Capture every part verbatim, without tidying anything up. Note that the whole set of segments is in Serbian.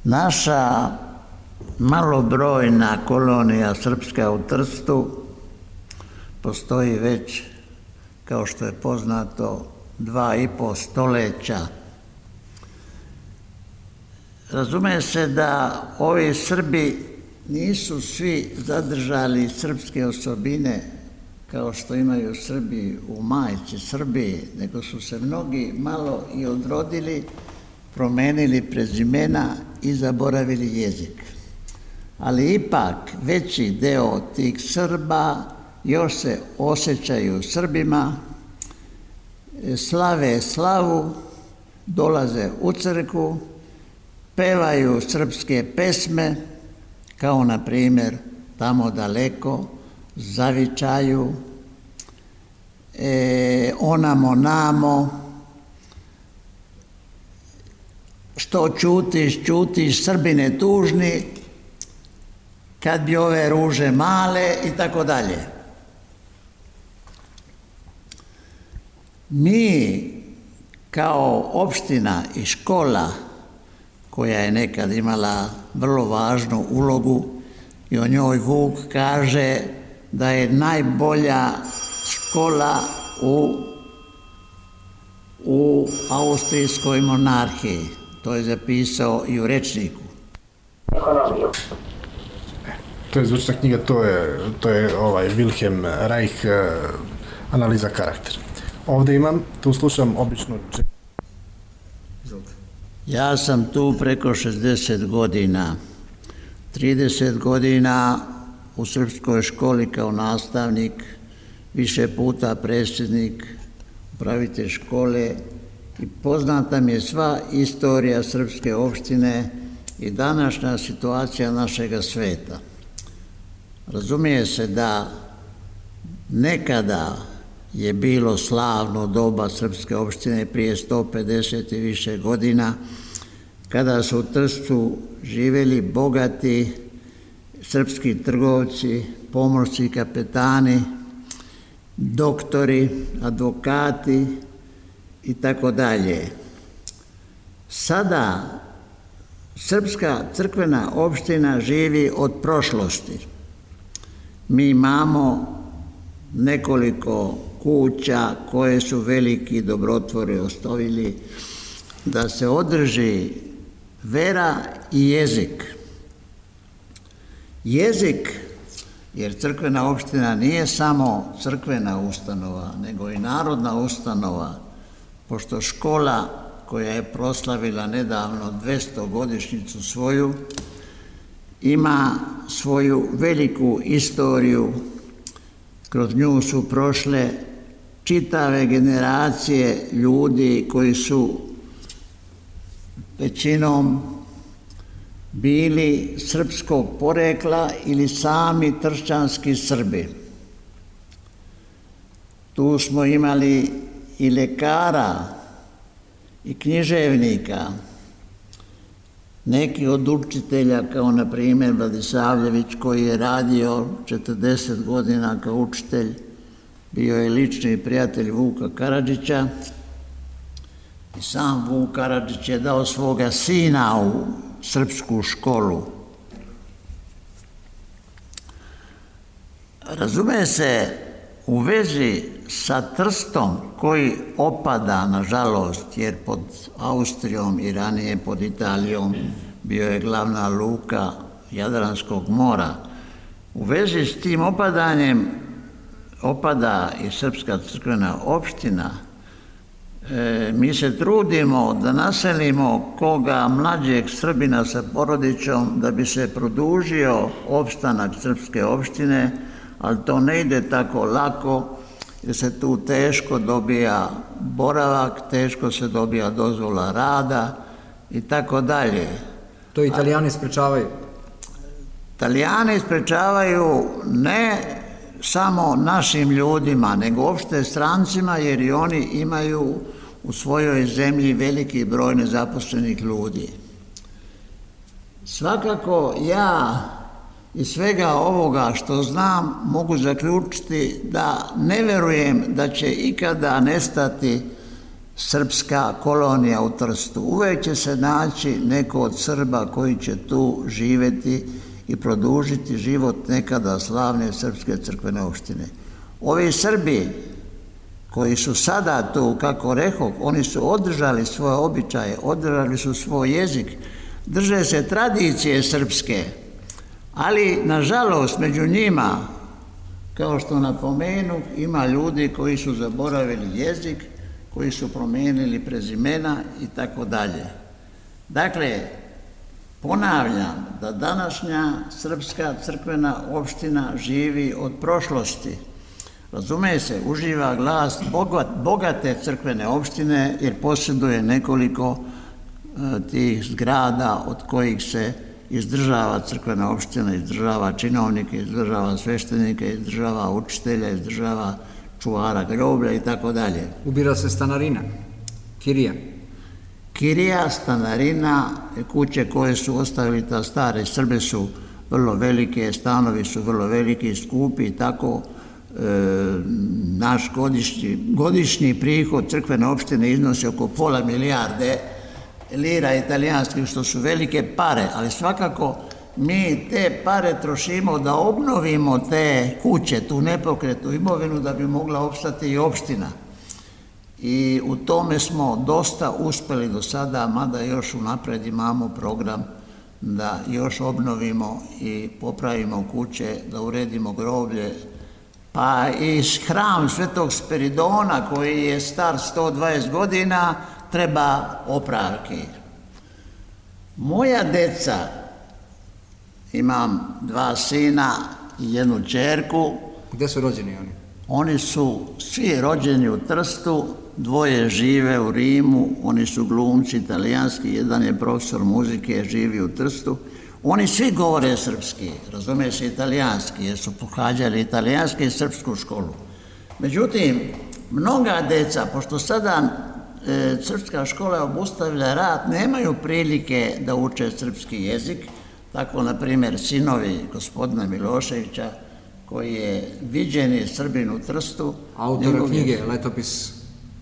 Naša malobrojna kolonija srpska u Trstu postoji već, kao što je poznato, dva i po stoljeća. Razume se da ovi Srbi nisu svi zadržali srpske osobine kao što imaju Srbi u majci Srbiji, nego su se mnogi malo i odrodili, promenili prezimena i zaboravili jezik. Ali ipak veći deo tih Srba još se osjećaju Srbima, slave slavu, dolaze u crkvu, pevaju srpske pesme, kao na primjer Tamo daleko, Zavičaju, e, Onamo namo, Što čutiš, čutiš, Srbine tužni, kad bi ove ruže male i tako dalje. Mi kao opština i škola, koja je nekad imala vrlo važnu ulogu i o njoj Vuk kaže da je najbolja škola u, u austrijskoj monarhiji. To je zapisao i u rečniku. To je zvučna knjiga, to je, to je ovaj Wilhelm Reich, analiza karaktera. Ovde imam, tu slušam obično... Ja sam tu preko šezdeset godina, trideset godina u srpskoj školi kao nastavnik, više puta predsjednik, upravitelj škole i poznata mi je sva istorija srpske opštine i današnja situacija našega sveta. Razumije se da nekada je bilo slavno doba srpske opštine prije sto pedeset i više godina, kada su u Trstu živjeli bogati srpski trgovci, pomorci, kapetani, doktori, advokati i tako dalje. Sada srpska crkvena opština živi od prošlosti. Mi imamo nekoliko kuća koje su veliki dobrotvori ostavili da se održi vera i jezik. Jezik, jer crkvena opština nije samo crkvena ustanova, nego i narodna ustanova, pošto škola koja je proslavila nedavno dvestogodišnjicu svoju, ima svoju veliku istoriju. Kroz nju su prošle čitave generacije ljudi koji su većinom bili srpskog porekla ili sami tršćanski Srbi. Tu smo imali i lekara i književnika, neki od učitelja kao na primjer Vladisavljević koji je radio četrdeset godina kao učitelj, bio je lični prijatelj Vuka Karadžića i sam Vuk Karadžić je dao svoga sina u srpsku školu. Razume se, u vezi sa Trstom koji opada, nažalost, jer pod Austrijom i ranije pod Italijom bio je glavna luka Jadranskog mora. U vezi s tim opadanjem opada i srpska crkvena opština. E, mi se trudimo da naselimo koga mlađeg Srbina sa porodičom da bi se produžio opstanak srpske opštine, ali to ne ide tako lako jer se tu teško dobija boravak, teško se dobija dozvola rada i tako dalje. To Italijani sprečavaju? Italijani sprečavaju ne samo našim ljudima, nego uopšte strancima, jer i oni imaju u svojoj zemlji veliki broj nezaposlenih ljudi. Svakako ja iz svega ovoga što znam mogu zaključiti da ne verujem da će ikada nestati srpska kolonija u Trstu. Uvijek će se naći neko od Srba koji će tu živjeti i produžiti život nekada slavne srpske crkvene opštine. Ovi Srbi koji su sada tu, kako rekoh, oni su održali svoje običaje, održali su svoj jezik, drže se tradicije srpske, ali nažalost među njima, kao što napomenu, ima ljudi koji su zaboravili jezik, koji su promijenili prezimena i tako dalje. Dakle, ponavljam da današnja srpska crkvena opština živi od prošlosti. Razume se, uživa glas bogate crkvene opštine jer posjeduje nekoliko tih zgrada od kojih se izdržava crkvena opština, izdržava činovnike, izdržava sveštenike, izdržava učitelja, izdržava čuvara groblja i tako dalje. Ubira se stanarina, kirija. Kirija, stanarina, kuće koje su ostavili ta stare Srbe su vrlo velike, stanovi su vrlo veliki, skupi i tako. E, naš godišnji, godišnji prihod crkvene opštine iznosi oko pola milijarde lira italijanskih, što su velike pare, ali svakako mi te pare trošimo da obnovimo te kuće, tu nepokretnu imovinu, da bi mogla opstati i opština. I u tome smo dosta uspeli do sada, mada još unapred imamo program da još obnovimo i popravimo kuće, da uredimo groblje, pa i hram Svetog Spiridona koji je star sto dvadeset godina treba opravki. Moja deca, imam dva sina i jednu ćerku. Gde su rođeni oni? Oni su svi rođeni u Trstu, dvoje žive u Rimu, oni su glumci italijanski, jedan je profesor muzike, živi u Trstu. Oni svi govore srpski, razume se italijanski, jer su pohađali italijanski i srpsku školu. Međutim, mnoga deca, pošto sada e, srpska škola je obustavila rad, nemaju prilike da uče srpski jezik, tako, na primjer, sinovi gospodina Miloševića, koji je viđeni Srbin u Trstu. Autora knjige, Letopis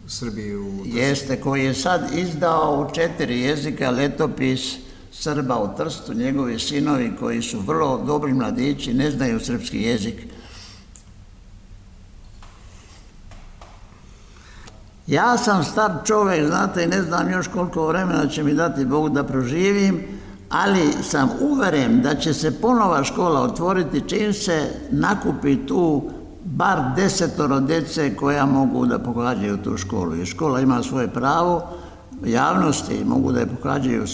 Srbiji u Trstu. Jeste, koji je sad izdao u četiri jezika Letopis Srba u Trstu, njegovi sinovi koji su vrlo dobri mladići, ne znaju srpski jezik. Ja sam star čovjek, znate, i ne znam još koliko vremena će mi dati Bog da proživim, ali sam uveren da će se ponova škola otvoriti čim se nakupi tu bar desetoro djece koja mogu da pohađaju tu školu. Jer škola ima svoje pravo, javnosti mogu da je pohađaju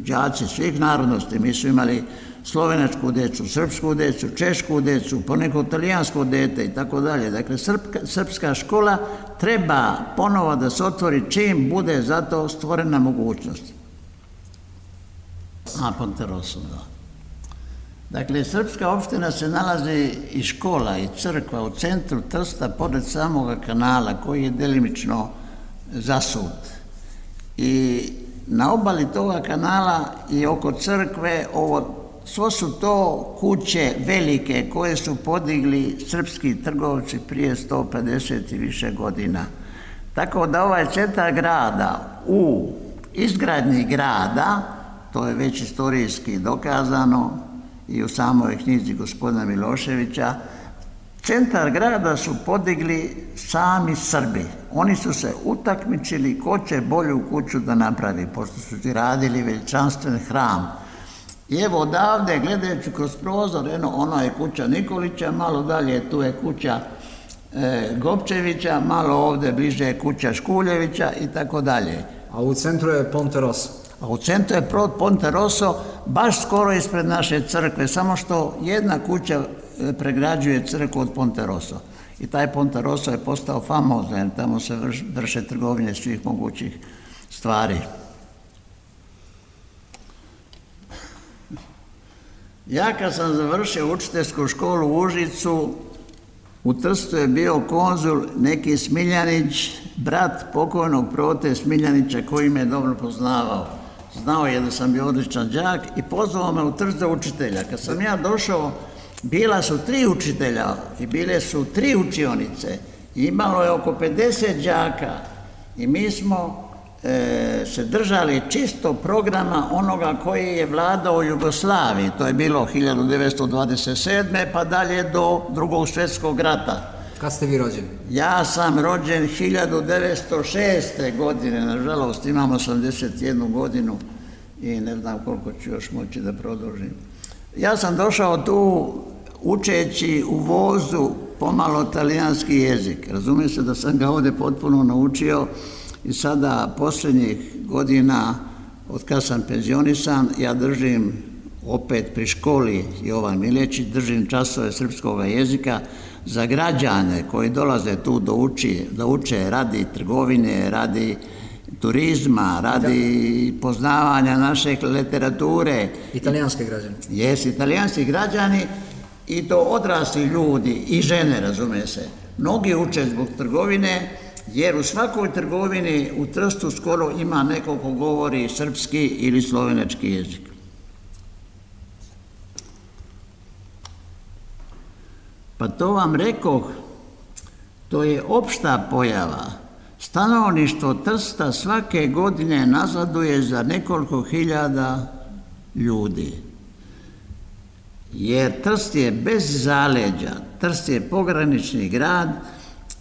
đaci svih narodnosti. Mi su imali slovenačku djecu, srpsku djecu, češku djecu, poneko italijansko dete i tako dalje. Dakle, srpska škola treba ponovo da se otvori čim bude za to stvorena mogućnost. A, Ponteroso, da. Dakle, srpska opština se nalazi i škola i crkva u centru Trsta, pored samoga kanala koji je delimično zasut. I na obali toga kanala i oko crkve, ovo, svo su to kuće velike koje su podigli srpski trgovci prije sto pedeset i više godina. Tako da ovaj centar grada u izgradnji grada, to je već istorijski dokazano i u samoj knjizi gospodina Miloševića, centar grada su podigli sami Srbi. Oni su se utakmičili ko će bolju kuću da napravi, pošto su ti radili veličanstven hram. I evo odavde, gledajući kroz prozor, eno, ono je kuća Nikolića, malo dalje tu je kuća e, Gopčevića, malo ovde bliže je kuća Škuljevića i tako dalje. A u centru je Ponteroso. A u centru je Ponteroso, baš skoro ispred naše crkve, samo što jedna kuća pregrađuje crkvu od Ponteroso. I taj Ponteroso je postao famozan, jer tamo se vrše trgovine svih mogućih stvari. Ja kad sam završio učiteljsku školu u Užicu, u Trstu je bio konzul neki Smiljanić, brat pokojnog Prote Smiljanića koji me dobro poznavao. Znao je da sam bio odličan đak i pozvao me u Trst za učitelja. Kad sam ja došao, bila su tri učitelja i bile su tri učionice. Imalo je oko pedeset đaka i mi smo e, se držali čisto programa onoga koji je vladao u Jugoslaviji. To je bilo hiljadu devetsto dvadeset sedme pa dalje do Drugog svjetskog rata. Kad ste vi rođeni? Ja sam rođen hiljadu devetsto šeste. godine, nažalost imam osamdeset jednu godinu i ne znam koliko ću još moći da produžim. Ja sam došao tu učeći u vozu pomalo talijanski jezik. Razumije se da sam ga ovdje potpuno naučio i sada posljednjih godina, od kad sam penzionisan, ja držim opet pri školi Jovan Milječić, držim časove srpskog jezika za građane koji dolaze tu da uči, da uče radi trgovine, radi turizma, radi poznavanja naše literature. Italijanski građani. Jes, italijanski građani i to odrasli ljudi i žene, razume se. Mnogi uče zbog trgovine, jer u svakoj trgovini u Trstu skoro ima neko ko govori srpski ili slovenački jezik. Pa to vam rekoh, to je opšta pojava. Stanovništvo Trsta svake godine nazaduje za nekoliko hiljada ljudi. Jer Trst je bez zaleđa, Trst je pogranični grad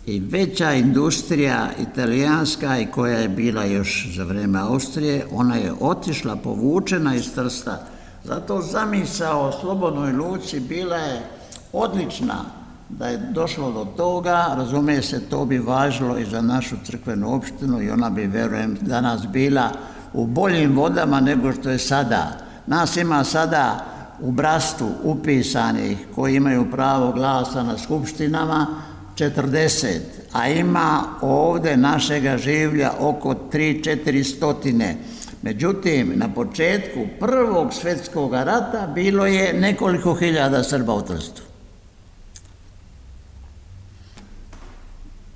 i veća industrija italijanska i koja je bila još za vreme Austrije, ona je otišla, povučena iz Trsta. Zato zamisao o slobodnoj luci bila je odlična. Da je došlo do toga, razumije se, to bi važilo i za našu crkvenu opštinu i ona bi, verujem, danas bila u boljim vodama nego što je sada. Nas ima sada u Brastu upisanih koji imaju pravo glasa na skupštinama četrdeset, a ima ovdje našega življa oko tri četiri stotine. Međutim, na početku Prvog svjetskog rata bilo je nekoliko hiljada Srba u Trstu.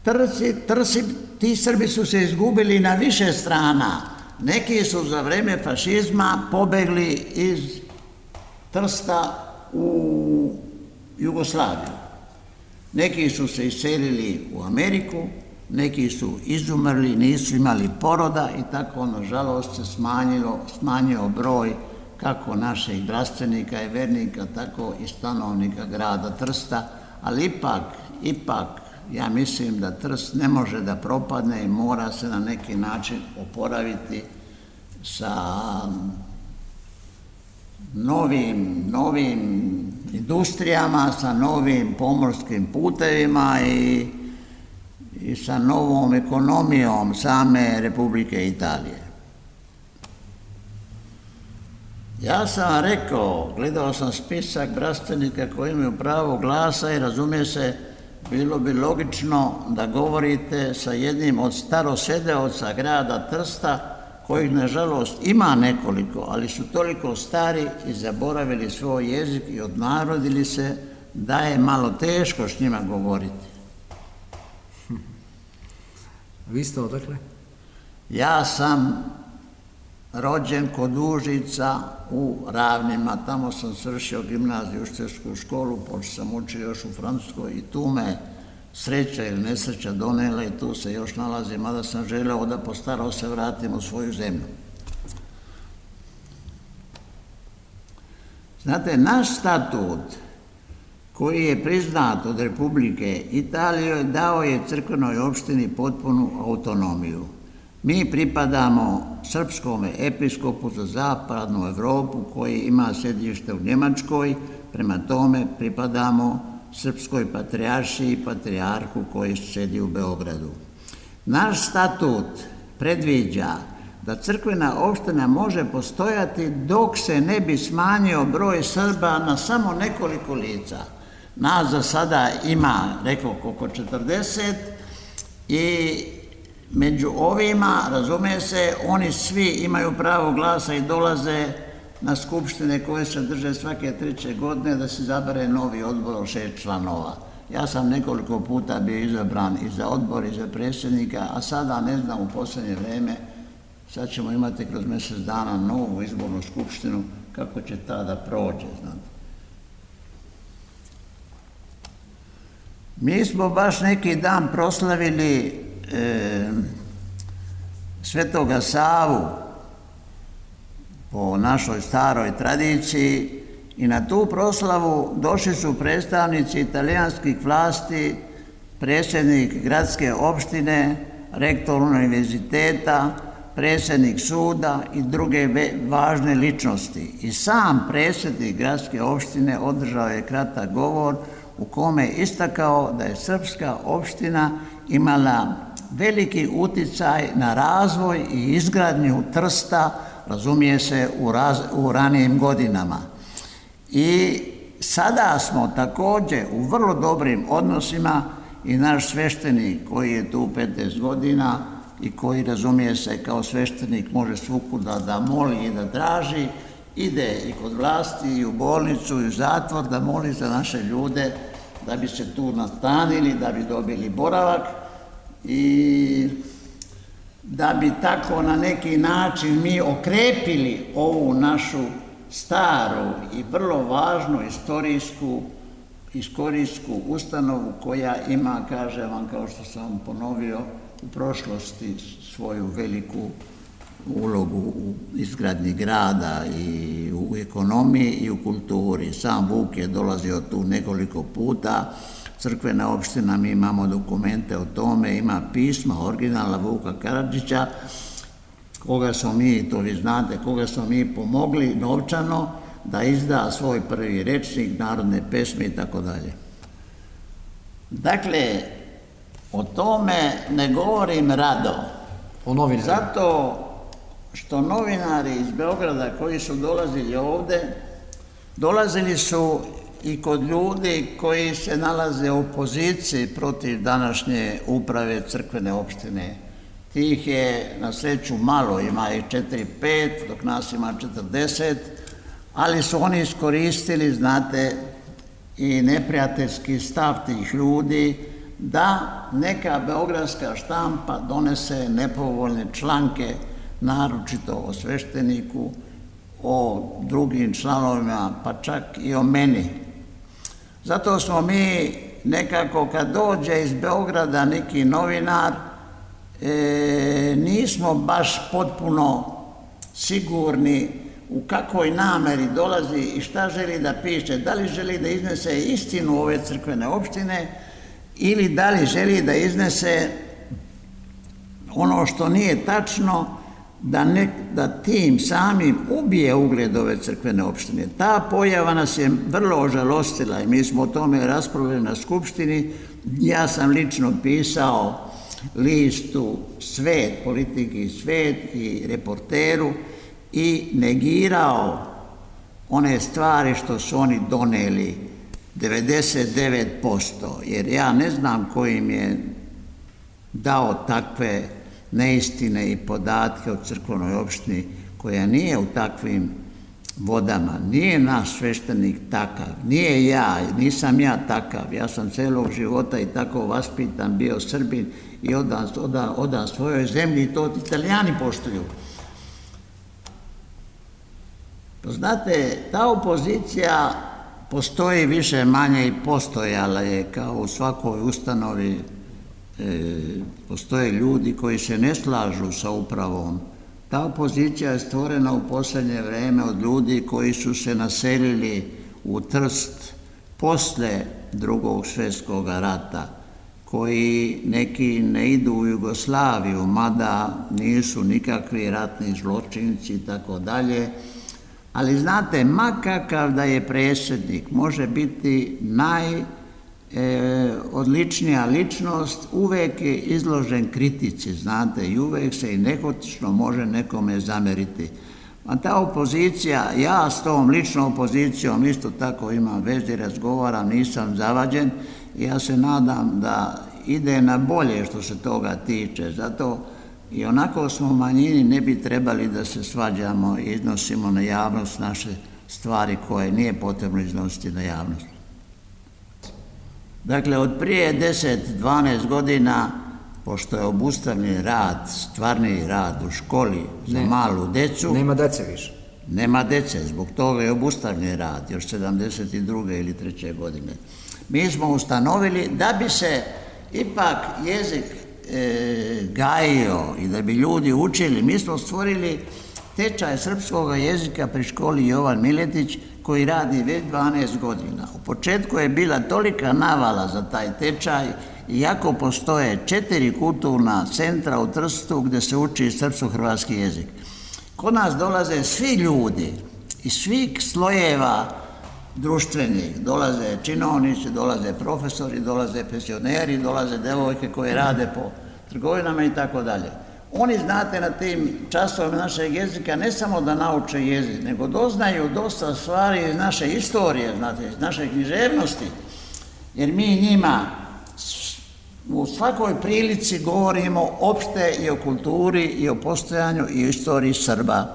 Trsi, trsi, ti Srbi su se izgubili na više strana. Neki su za vreme fašizma pobegli iz Trsta u Jugoslaviju. Neki su se iselili u Ameriku, neki su izumrli, nisu imali poroda i tako, nažalost, se smanjilo, smanjio broj kako naših zdravstvenika i vernika, tako i stanovnika grada Trsta, ali ipak, ipak, ja mislim da Trst ne može da propadne i mora se na neki način oporaviti sa novim, novim industrijama, sa novim pomorskim putevima i, i sa novom ekonomijom same Republike Italije. Ja sam vam rekao, gledao sam spisak bratstvenika koji imaju pravo glasa i razumije se, bilo bi logično da govorite sa jednim od starosedeoca grada Trsta, kojih, nažalost, ima nekoliko, ali su toliko stari i zaboravili svoj jezik i odnarodili se, da je malo teško s njima govoriti. Vi ste odakle? Ja sam rođen kod Užica u Ravnima, tamo sam svršio gimnaziju, učiteljsku školu, počeo sam učio još u Francuskoj i tu me sreća ili nesreća donela i tu se još nalazim, mada sam želeo da postarao se vratim u svoju zemlju. Znate, naš statut koji je priznat od Republike Italije dao je crkvenoj opštini potpunu autonomiju. Mi pripadamo srpskom episkopu za zapadnu Evropu koji ima sedište u Njemačkoj, prema tome pripadamo srpskoj patrijaršiji i patrijarhu koji sedi u Beogradu. Naš statut predviđa da crkvena opština može postojati dok se ne bi smanjio broj Srba na samo nekoliko lica. Nas za sada ima, rekao, oko četrdeset i među ovima, razume se, oni svi imaju pravo glasa i dolaze na skupštine koje se drže svake treće godine da se izabere novi odbor od šest članova. Ja sam nekoliko puta bio izabran i za odbor i za predsjednika, a sada ne znam u posljednje vreme, sad ćemo imati kroz mjesec dana novu izbornu skupštinu, kako će ta da prođe, znate. Mi smo baš neki dan proslavili e, Svetoga Savu po našoj staroj tradiciji i na tu proslavu došli su predstavnici italijanskih vlasti, predsjednik gradske opštine, rektor univerziteta, predsjednik suda i druge važne ličnosti. I sam predsjednik gradske opštine održao je kratak govor u kome je istakao da je srpska opština imala veliki uticaj na razvoj i izgradnju Trsta, razumije se, u, raz, u ranijim godinama. I sada smo također u vrlo dobrim odnosima i naš sveštenik koji je tu petnaest godina i koji, razumije se, kao sveštenik može svukuda da moli i da traži, ide i kod vlasti i u bolnicu i u zatvor da moli za naše ljude da bi se tu nastanili, da bi dobili boravak i da bi tako na neki način mi okrepili ovu našu staru i vrlo važnu istorijsku, istorijsku ustanovu koja ima, kažem vam, kao što sam ponovio, u prošlosti svoju veliku ulogu u izgradnji grada i u ekonomiji i u kulturi. Sam Vuk je dolazio tu nekoliko puta, crkvena opština, mi imamo dokumente o tome, ima pisma originala Vuka Karadžića, koga smo mi, to vi znate, koga smo mi pomogli novčano da izda svoj prvi rečnik, narodne pesme i tako dalje. Dakle, o tome ne govorim rado. O novinarima. Zato što novinari iz Beograda koji su dolazili ovde, dolazili su i kod ljudi koji se nalaze u opoziciji protiv današnje uprave crkvene opštine. Tih je na sreću malo, ima ih četiri pet, dok nas ima četrdeset, ali su oni iskoristili, znate, i neprijateljski stav tih ljudi da neka beogradska štampa donese nepovoljne članke, naročito o svešteniku, o drugim članovima, pa čak i o meni. Zato smo mi nekako, kad dođe iz Beograda neki novinar, e, nismo baš potpuno sigurni u kakvoj nameri dolazi i šta želi da piše, da li želi da iznese istinu ove crkvene opštine ili da li želi da iznese ono što nije tačno, da, ne, da tim samim ubije ugled ove crkvene opštine. Ta pojava nas je vrlo ožalostila i mi smo o tome raspravljali na skupštini. Ja sam lično pisao listu Svet, Politiki Svet i Reporteru i negirao one stvari što su oni doneli devedeset devet posto, jer ja ne znam ko im je dao takve neistine i podatke o crkvenoj opštini koja nije u takvim vodama. Nije naš sveštenik takav, nije ja, nisam ja takav, ja sam celog života i tako vaspitan, bio Srbin i odan, odan, odan svojoj zemlji i to Italijani poštuju. Znate, ta opozicija postoji više manje i postojala je kao u svakoj ustanovi. E, postoje ljudi koji se ne slažu sa upravom. Ta opozicija je stvorena u posljednje vreme od ljudi koji su se naselili u Trst posle drugog svjetskog rata, koji neki ne idu u Jugoslaviju, mada nisu nikakvi ratni zločinci i tako dalje. Ali znate, makakav da je predsjednik, može biti naj E, odličnija ličnost, uvek je izložen kritici, znate, i uvek se i nehotično može nekome zameriti. A ta opozicija, ja s tom ličnom opozicijom isto tako imam vezi, razgovaram, nisam zavađen i ja se nadam da ide na bolje što se toga tiče. Zato i onako smo manjini, ne bi trebali da se svađamo i iznosimo na javnost naše stvari koje nije potrebno iznositi na javnost. Dakle, od prije deset do dvanaest godina, pošto je obustavljen rad, stvarni rad u školi za ne, malu decu... Nema dece više. Nema dece, zbog toga je obustavljen rad, još sedamdeset druge ili treće godine. Mi smo ustanovili da bi se ipak jezik e, gajio i da bi ljudi učili, mi smo stvorili tečaj srpskog jezika pri školi Jovan Miletić koji radi već dvanaest godina. U početku je bila tolika navala za taj tečaj, iako postoje četiri kulturna centra u Trstu gde se uči srpsko-hrvatski jezik. Kod nas dolaze svi ljudi iz svih slojeva društvenih, dolaze činovnici, dolaze profesori, dolaze pensioneri, dolaze devojke koje rade po trgovinama i tako dalje. Oni, znate, na tim časovima našeg jezika ne samo da nauče jezik, nego doznaju dosta stvari iz naše istorije, znate, iz naše književnosti, jer mi njima u svakoj prilici govorimo opšte i o kulturi, i o postojanju, i o istoriji Srba.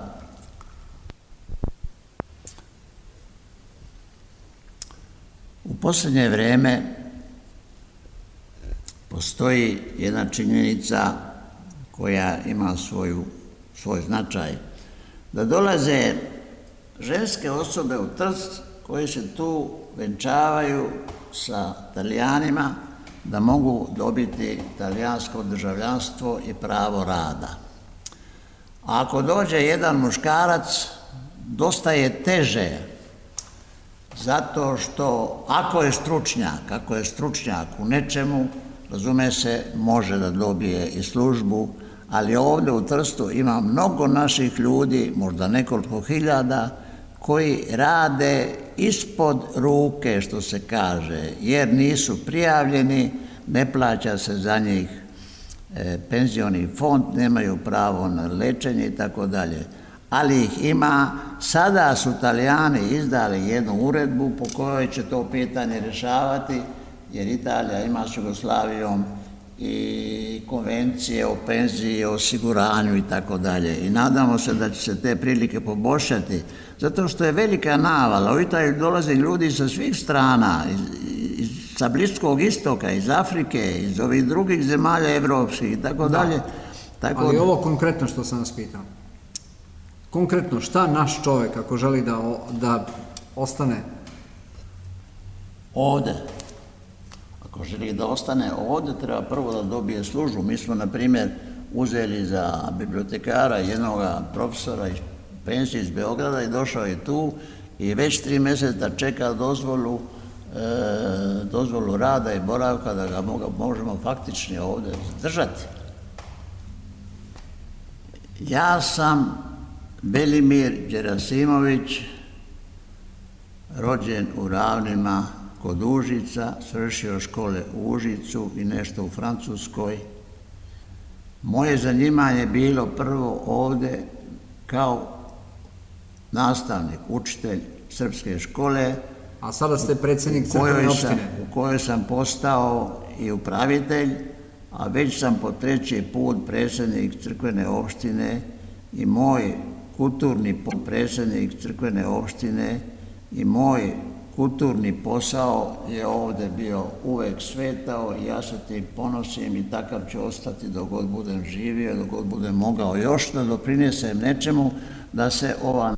U posljednje vreme postoji jedna činjenica koja ima svoju, svoj značaj, da dolaze ženske osobe u Trst koje se tu venčavaju sa Talijanima da mogu dobiti talijansko državljanstvo i pravo rada. A ako dođe jedan muškarac, dosta je teže, zato što ako je stručnjak, ako je stručnjak u nečemu, razume se, može da dobije i službu, ali ovdje u Trstu ima mnogo naših ljudi, možda nekoliko hiljada, koji rade ispod ruke, što se kaže, jer nisu prijavljeni, ne plaća se za njih e, penzioni fond, nemaju pravo na lečenje i tako dalje. Ali ih ima, sada su Talijani izdali jednu uredbu po kojoj će to pitanje rješavati, jer Italija ima s Jugoslavijom i konvencije o penziji, o osiguranju i tako dalje. I nadamo se da će se te prilike poboljšati, zato što je velika navala. U Italiju dolaze ljudi sa svih strana, iz, iz, sa Bliskog istoka, iz Afrike, iz ovih drugih zemalja evropskih i tako dalje. Tako ali ovo konkretno što sam vas pitao. Konkretno, šta naš čovjek ako želi da, da ostane ovde? Ako želi da ostane ovdje, treba prvo da dobije službu. Mi smo, na primjer, uzeli za bibliotekara jednog profesora iz penzije iz Beograda i došao je tu i već tri mjeseca čeka dozvolu, e, dozvolu rada i boravka da ga možemo faktični ovdje zadržati. Ja sam Belimir Đerasimović, rođen u Ravnima kod Užica, svršio škole u Užicu i nešto u Francuskoj. Moje zanimanje je bilo prvo ovdje kao nastavnik, učitelj srpske škole. A sada ste predsjednik crkvene opštine. U kojoj sam postao i upravitelj, a već sam po treći put predsjednik crkvene opštine i moj kulturni predsjednik crkvene opštine i moj kulturni posao je ovdje bio uvek svetao i ja se tim ponosim i takav ću ostati dok god budem živio, dok god budem mogao još da doprinesem nečemu da se ova